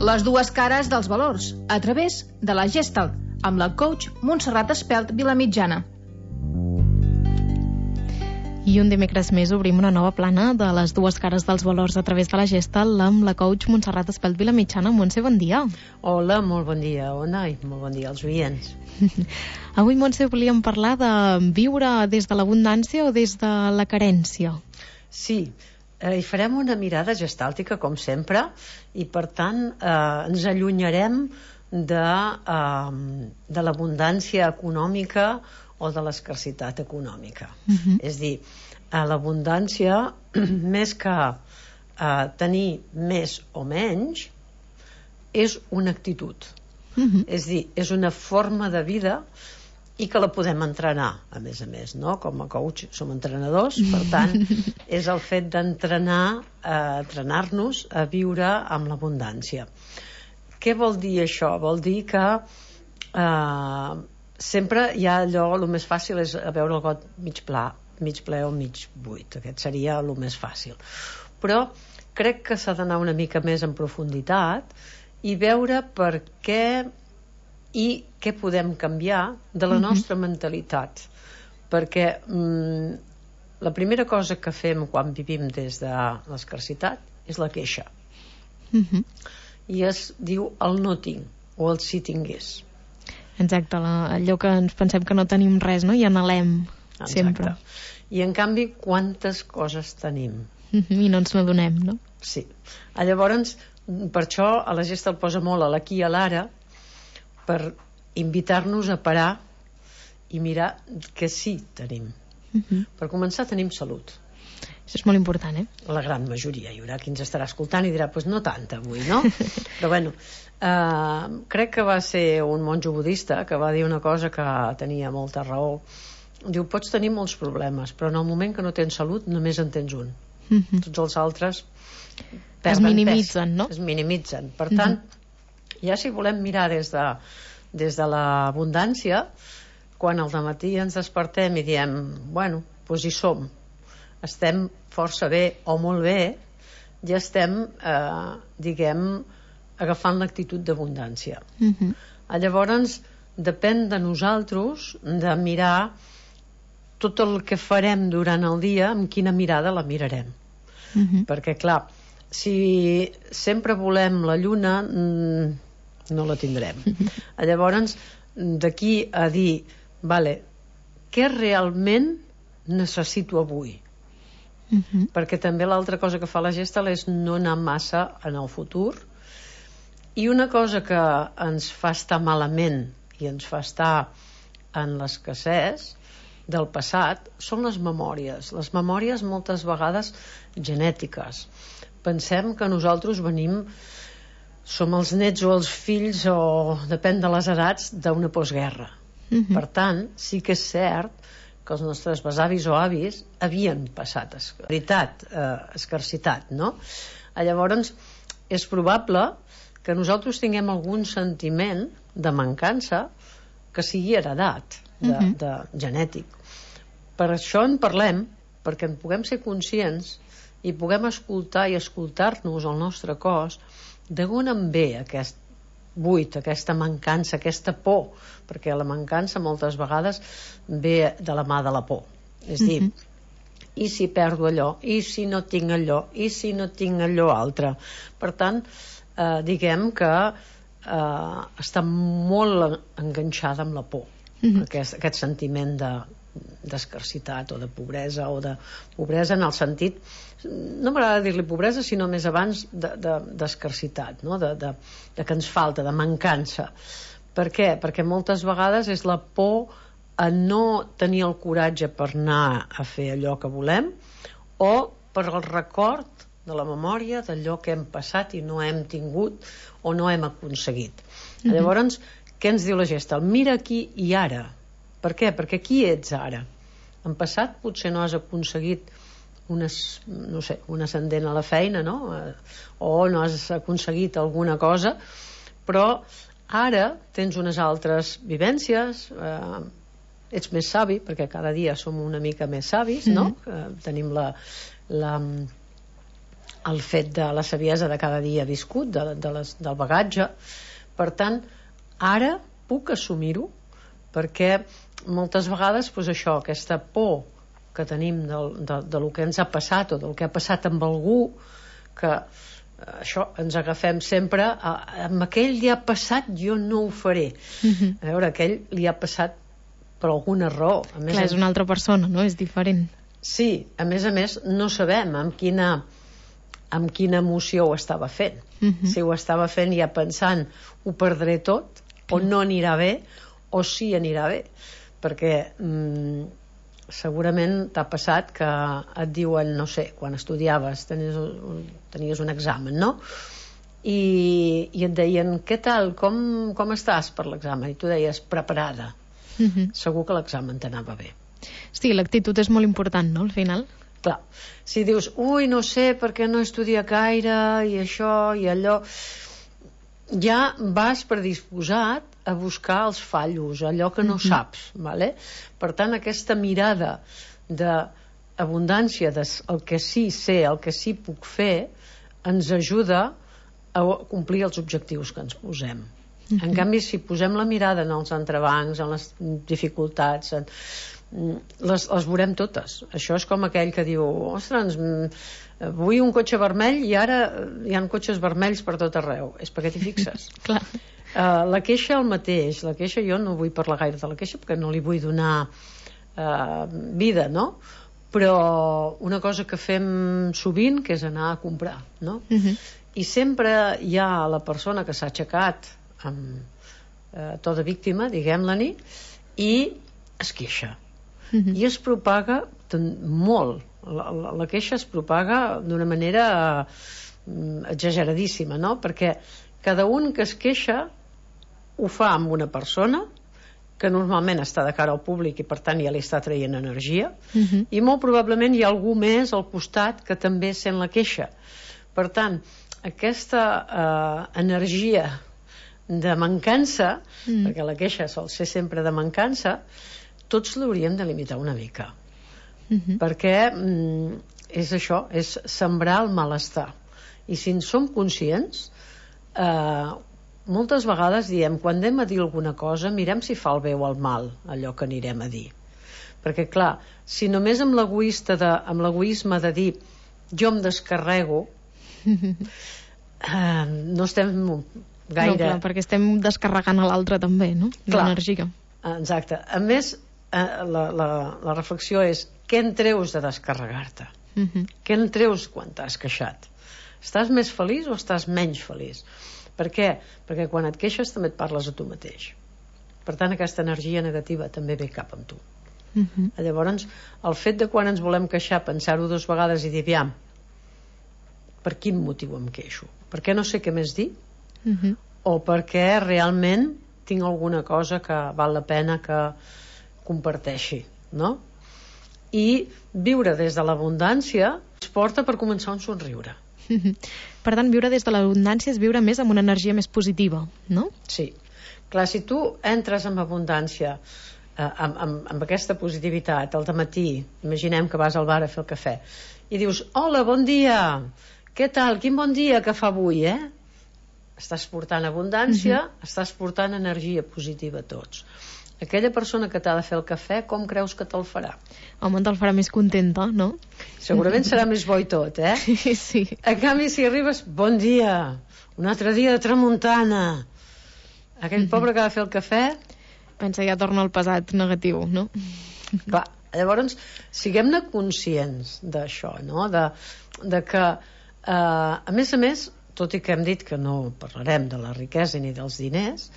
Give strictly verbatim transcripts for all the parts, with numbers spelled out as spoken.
Les dues cares dels valors, a través de la Gestalt, amb la coach Montserrat Espelt Vilamitjana. I un dimecres més obrim una nova plana de les dues cares dels valors a través de la Gestalt amb la coach Montserrat Espelt Vilamitjana. Montse, bon dia. Hola, molt bon dia, Ona, i molt bon dia als oients. Avui, Montse, volíem parlar de viure des de l'abundància o des de la carència. Sí, eh, hi farem una mirada gestàltica, com sempre, i per tant eh, ens allunyarem de, eh, de l'abundància econòmica o de l'escarsitat econòmica. Uh-huh. És dir, a l'abundància, més que eh, tenir més o menys, és una actitud. Uh-huh. És dir, és una forma de vida i que la podem entrenar, a més a més, no? Com a coach som entrenadors, per tant, és el fet d'entrenar, eh, entrenar-nos a viure amb l'abundància. Què vol dir això? Vol dir que eh, sempre hi ha allò, el més fàcil és veure el got mig pla, mig ple o mig buit. Aquest seria el més fàcil. Però crec que s'ha d'anar una mica més en profunditat i veure per què i què podem canviar de la nostra mm-hmm. mentalitat. Perquè mm, la primera cosa que fem quan vivim des de l'escarsitat és la queixa. Mm-hmm. I es diu el no tinc o el si tingués. Exacte, la, allò que ens pensem que no tenim res, no? I anhelem sempre. I en canvi, quantes coses tenim? I no ens n'adonem, no? Sí. Llavors, per això a la Gestalt posa molt a l'aquí i a l'ara, per invitar-nos a parar i mirar que sí tenim. Uh-huh. Per començar, tenim salut. Això és molt important, eh? La gran majoria. Hi haurà qui ens estarà escoltant i dirà, pues no tanta avui, no? Però bueno, eh, crec que va ser un monjo budista que va dir una cosa que tenia molta raó. Diu, pots tenir molts problemes, però en el moment que no tens salut només en tens un. Uh-huh. Tots els altres es minimitzen, pes, no? Es minimitzen. Per tant, uh-huh. ja si volem mirar des de, des de l'abundància, quan al dematí ens despertem i diem, bueno, doncs hi som, estem força bé o molt bé, ja estem, eh, diguem, agafant l'actitud d'abundància. Uh-huh. Llavors, depèn de nosaltres de mirar tot el que farem durant el dia, amb quina mirada la mirarem. Uh-huh. Perquè, clar, si sempre volem la lluna, no la tindrem. Uh-huh. Llavors, d'aquí a dir, vale, què realment necessito avui? Uh-huh. Perquè també l'altra cosa que fa la Gestalt és no anar massa en el futur, i una cosa que ens fa estar malament i ens fa estar en l'escassez del passat són les memòries. Les memòries moltes vegades genètiques. Pensem que nosaltres venim, som els nets o els fills, o depèn de les edats, d'una postguerra. Uh-huh. Per tant, sí que és cert que els nostres besavis o avis havien passat escarsitat, eh, escarsitat, no? Llavors, és probable que nosaltres tinguem algun sentiment de mancança que sigui heredat, de, uh-huh. de genètic. Per això en parlem, perquè en puguem ser conscients i puguem escoltar i escoltar-nos el nostre cos d'on en ve aquest buit, aquesta mancança, aquesta por, perquè la mancança moltes vegades ve de la mà de la por. És dir, uh-huh. i si perdo allò, i si no tinc allò, i si no tinc allò altre. Per tant, eh, diguem que eh, està molt enganxada amb la por, uh-huh. aquest, aquest sentiment de d'escarsitat o de pobresa, o de pobresa en el sentit, no m'agrada dir-li pobresa, sinó més abans de, de, d'escarsitat, no? de, de, de que ens falta, de mancança. Per què? Perquè moltes vegades és la por a no tenir el coratge per anar a fer allò que volem, o per el record de la memòria d'allò que hem passat i no hem tingut o no hem aconseguit. Mm-hmm. Llavors, què ens diu la Gestalt? Mira aquí i ara. Per què? Perquè qui ets ara? En passat potser no has aconseguit unes, no sé, un ascendent a la feina, no? O no has aconseguit alguna cosa, però ara tens unes altres vivències, eh, ets més savi, perquè cada dia som una mica més savis, no? Mm-hmm. Eh, tenim la, la, el fet de la saviesa de cada dia viscut, de, de les, del bagatge. Per tant, ara puc assumir-ho, perquè moltes vegades doncs això, aquesta por que tenim del, de, de lo que ens ha passat o del que ha passat amb algú, que això ens agafem sempre a, amb aquell li ha passat, jo no ho faré. Uh-huh. A veure, aquell li ha passat per alguna raó. A més, clar, és una altra persona, no? És diferent. Sí, a més a més no sabem amb quina amb quina emoció ho estava fent. Uh-huh. Si ho estava fent ja pensant ho perdré tot, o no anirà bé, o sí anirà bé, perquè mm, segurament t'ha passat que et diuen, no sé, quan estudiaves tenies un, tenies un examen, no? I, i et deien, què tal, com, com estàs per l'examen? I tu deies, preparada. Uh-huh. Segur que l'examen t'anava bé. Sí, l'actitud és molt important, no, al final? Clar, si dius, ui, no sé perquè no estudia gaire i això i allò, ja vas predisposat a buscar els fallos, allò que no mm-hmm. saps, vale? Per tant, aquesta mirada d'abundància, del que sí sé, el que sí puc fer, ens ajuda a complir els objectius que ens posem. Mm-hmm. En canvi, si posem la mirada en els entrebancs, en les dificultats, en... les, les veurem totes. Això és com aquell que diu, ostres, vull un cotxe vermell i ara hi ha cotxes vermells per tot arreu. És perquè t'hi fixes. Clar. Uh, la queixa el mateix. La queixa, jo no vull parlar gaire de la queixa perquè no li vull donar uh, vida, no? Però una cosa que fem sovint, que és anar a comprar, no? Uh-huh. I sempre hi ha la persona que s'ha aixecat amb uh, to de víctima, diguem-la-ni, i es queixa. Uh-huh. I es propaga molt. La, la, la queixa es propaga d'una manera uh, exageradíssima, no? Perquè cada un que es queixa ho fa amb una persona que normalment està de cara al públic i per tant ja li està traient energia, uh-huh. i molt probablement hi ha algú més al costat que també sent la queixa. Per tant, aquesta uh, energia de mancança, uh-huh. perquè la queixa sol ser sempre de mancança, tots l'hauríem de limitar una mica. Uh-huh. Perquè mm, és això, és sembrar el malestar. I si en som conscients, eh, moltes vegades diem, quan anem a dir alguna cosa, mirem si fa el bé o el mal allò que anirem a dir. Perquè clar, si només amb l'egoista de, amb l'egoisme de dir jo em descarrego, eh, no estem gaire... No, clar, perquè estem descarregant a l'altre també, no? L'energia. Exacte. A més, eh, la, la, la reflexió és què en treus de descarregar-te? Uh-huh. Què en treus quan t'has queixat? Estàs més feliç o estàs menys feliç? Per què? Perquè quan et queixes també et parles a tu mateix. Per tant, aquesta energia negativa també ve cap amb tu. Uh-huh. Llavors, el fet de quan ens volem queixar, pensar-ho dues vegades i dir, aviam, per quin motiu em queixo? Per què no sé què més dir? Uh-huh. O perquè realment tinc alguna cosa que val la pena que comparteixi, no? I viure des de l'abundància ens porta per començar un somriure. Per tant, viure des de l'abundància és viure més amb una energia més positiva, no? Sí. Clar, si tu entres amb abundància, eh, amb, amb, amb aquesta positivitat, al dematí, imaginem que vas al bar a fer el cafè, i dius, hola, bon dia, què tal, quin bon dia que fa avui, eh? Estàs portant abundància, uh-huh. estàs portant energia positiva a tots. Aquella persona que t'ha de fer el cafè, com creus que te'l farà? Home, te'l farà més contenta, no? Segurament serà més bo i tot, eh? Sí, sí. En canvi, si arribes, bon dia, un altre dia de tramuntana, aquell mm-hmm. pobre que ha de fer el cafè... Pensa, ja torna al pesat negatiu, no? Clar, llavors, siguem-ne conscients d'això, no? De, de que, eh, a més a més, tot i que hem dit que no parlarem de la riquesa ni dels diners,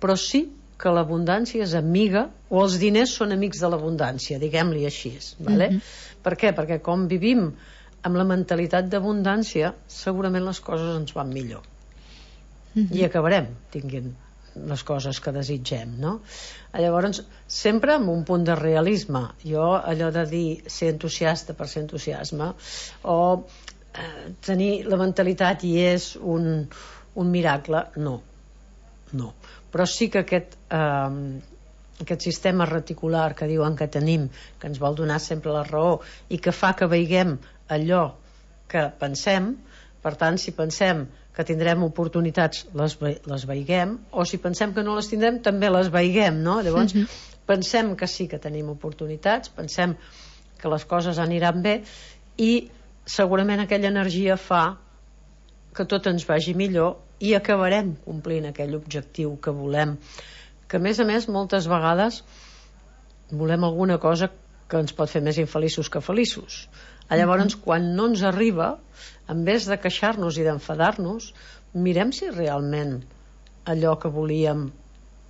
però sí que l'abundància és amiga, o els diners són amics de l'abundància, diguem-li així, vale? Mm-hmm. Per què? Perquè com vivim amb la mentalitat d'abundància, segurament les coses ens van millor. Mm-hmm. I acabarem tinguent les coses que desitgem, no? Llavors, sempre amb un punt de realisme. Jo, allò de dir ser entusiasta per ser entusiasme, o eh, tenir la mentalitat i és un, un miracle, no. No. Però sí que aquest, eh, aquest sistema reticular que diuen que tenim, que ens vol donar sempre la raó i que fa que veiguem allò que pensem, Per tant, si pensem que tindrem oportunitats, les, les veiguem, o si pensem que no les tindrem, també les veiguem, no? Llavors, uh-huh. pensem que sí que tenim oportunitats, pensem que les coses aniran bé, i segurament aquella energia fa que tot ens vagi millor i acabarem complint aquell objectiu que volem, que a més a més moltes vegades volem alguna cosa que ens pot fer més infeliços que feliços. Llavors, uh-huh. quan no ens arriba, en vez de queixar-nos i d'enfadar-nos, mirem si realment allò que volíem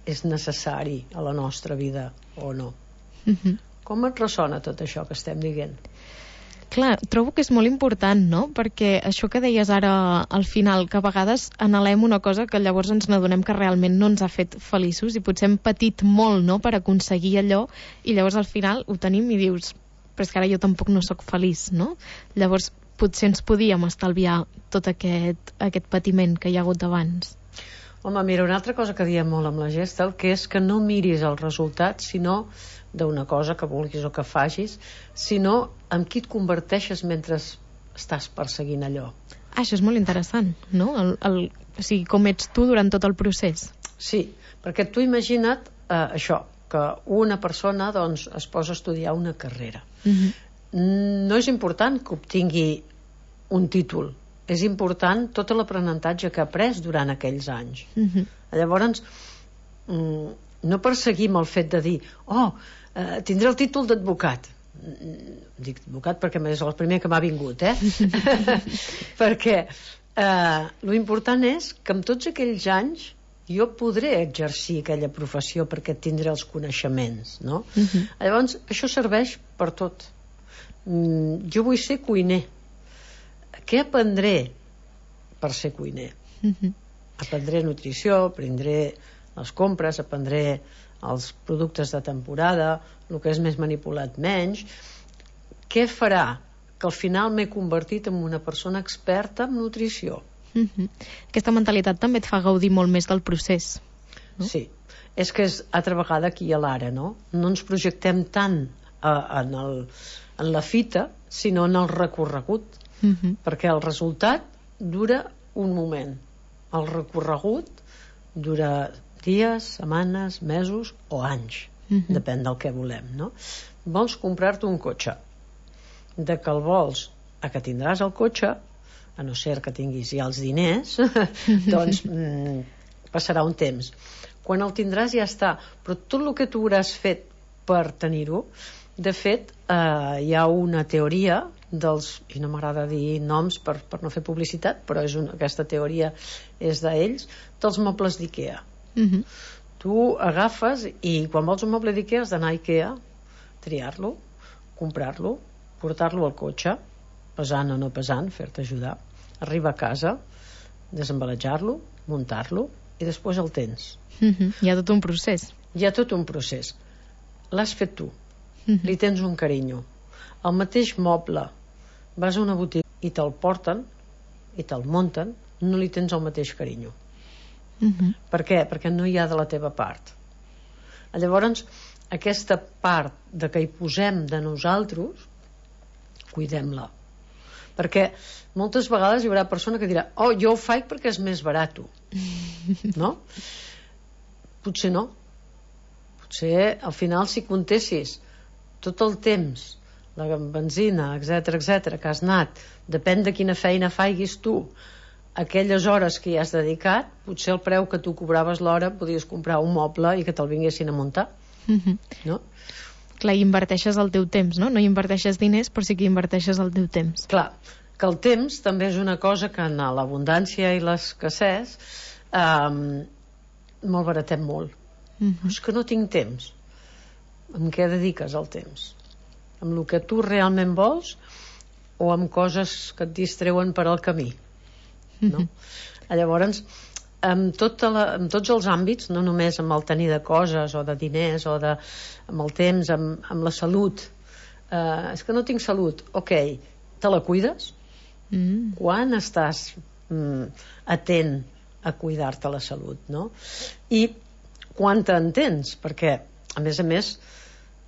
és necessari a la nostra vida o no. Uh-huh. Com et ressona tot això que estem dient? Clar, trobo que és molt important, no? Perquè això que deies ara al final, que a vegades anhelem una cosa que llavors ens n'adonem que realment no ens ha fet feliços i potser hem patit molt, no?, per aconseguir allò, i llavors al final ho tenim i dius, però és que ara jo tampoc no sóc feliç, no? Llavors potser ens podíem estalviar tot aquest, aquest patiment que hi ha hagut abans. Home, mira, una altra cosa que diem molt amb la Gestalt, que és que no miris el resultat, sinó d'una cosa que vulguis o que facis, sinó en qui et converteixes mentre estàs perseguint allò. Ah, això és molt interessant, no? El, el, o sigui, com ets tu durant tot el procés. Sí, perquè tu imagina't eh, això, que una persona doncs, es posa a estudiar una carrera. Uh-huh. No és important que obtingui un títol, és important tot l'aprenentatge que ha après durant aquells anys. Uh-huh. Llavors, no perseguim el fet de dir, oh, eh, tindré el títol d'advocat. Dic advocat perquè és el primer que m'ha vingut, eh? Perquè eh, lo important és que en tots aquells anys jo podré exercir aquella professió perquè tindré els coneixements, no? Uh-huh. Llavors, això serveix per tot. Mm, jo vull ser cuiner. Què aprendré per ser cuiner? Uh-huh. Aprendré nutrició, aprendré les compres, aprendré els productes de temporada, el que és més manipulat menys. Què farà? Que al final m'he convertit en una persona experta en nutrició. Uh-huh. Aquesta mentalitat també et fa gaudir molt més del procés, no? Sí, és que és altra vegada aquí a l'ara, no? No ens projectem tant eh, en, el, en la fita, sinó en el recorregut, uh-huh. perquè el resultat dura un moment, el recorregut dura dies, setmanes, mesos o anys, uh-huh. depèn del que volem, no? Vols comprar-te un cotxe, de que el vols a que tindràs el cotxe, a no ser que tinguis ja els diners, doncs mm, passarà un temps. Quan el tindràs ja està, però tot el que tu hauràs fet per tenir-ho, de fet, eh, hi ha una teoria dels, i no m'agrada dir noms per, per no fer publicitat, però és una, aquesta teoria és d'ells, dels mobles d'IKEA. Uh-huh. Tu agafes i quan vols un moble d'IKEA has d'anar a IKEA, triar-lo, comprar-lo, portar-lo al cotxe, pesant o no pesant, fer-te ajudar, arribar a casa, desembalatjar-lo, muntar-lo i després el tens. Uh-huh. Hi ha tot un procés. Hi ha tot un procés. L'has fet tu. Uh-huh. Li tens un carinyo. El mateix moble, vas a una botiga i te'l porten i te'l munten, no li tens el mateix carinyo. Uh-huh. Per què? Perquè no hi ha de la teva part. Llavors, aquesta part de que hi posem de nosaltres, cuidem-la. Perquè moltes vegades hi haurà persona que dirà, oh, jo ho faig perquè és més barat, no? Potser no. Potser al final si comptessis tot el temps, la benzina, etc etc que has anat, depèn de quina feina faiguis tu, aquelles hores que hi has dedicat, potser el preu que tu cobraves l'hora podies comprar un moble i que te'l vinguessin a muntar, no? Clar, hi inverteixes el teu temps, no? No hi inverteixes diners, però sí que hi inverteixes el teu temps. Clar, que el temps també és una cosa que en l'abundància i l'escassez eh, malbaratem molt. Uh-huh. És que no tinc temps. Amb què dediques el temps? Amb el que tu realment vols o amb coses que et distreuen per al camí? No? Uh-huh. Llavors, amb, tota la, amb tots els àmbits, no només amb el tenir de coses o de diners o de, amb el temps, amb, amb la salut, eh, és que no tinc salut, ok, te la cuides? Mm. Quan estàs mm, atent a cuidar-te la salut, no? I quan t'entens, perquè a més a més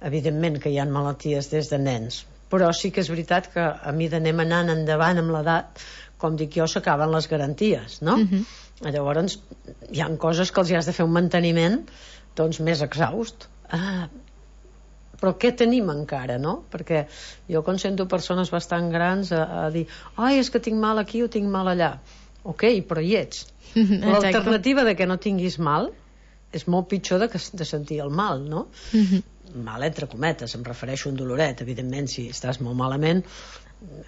evidentment que hi ha malalties des de nens, però sí que és veritat que a mi d'anem anant endavant amb l'edat, com dic jo, s'acaben les garanties, no? Uh-huh. Llavors hi ha coses que els hi has de fer un manteniment doncs més exhaust. Ah, però què tenim encara, no? Perquè jo quan sento persones bastant grans a, a dir, ai, és que tinc mal aquí o tinc mal allà. Ok, però hi ets. L'alternativa de que no tinguis mal és molt pitjor de, que, de sentir el mal, no? Uh-huh. Mal entre cometes, em refereixo a un doloret. Evidentment, si estàs molt malament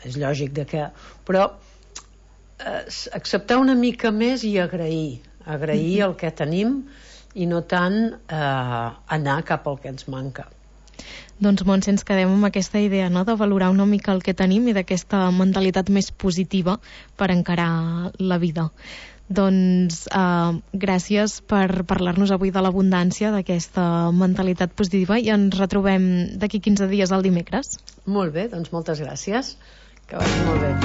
és lògic de que... Però eh, acceptar una mica més i agrair. Agrair uh-huh. el que tenim i no tant eh, anar cap al que ens manca. Doncs, Montse, ens quedem amb aquesta idea, no?, de valorar una mica el que tenim i d'aquesta mentalitat més positiva per encarar la vida. Doncs eh, gràcies per parlar-nos avui de l'abundància, d'aquesta mentalitat positiva, i ens retrobem d'aquí quinze dies el dimecres. Molt bé, doncs moltes gràcies. Que vagi molt bé.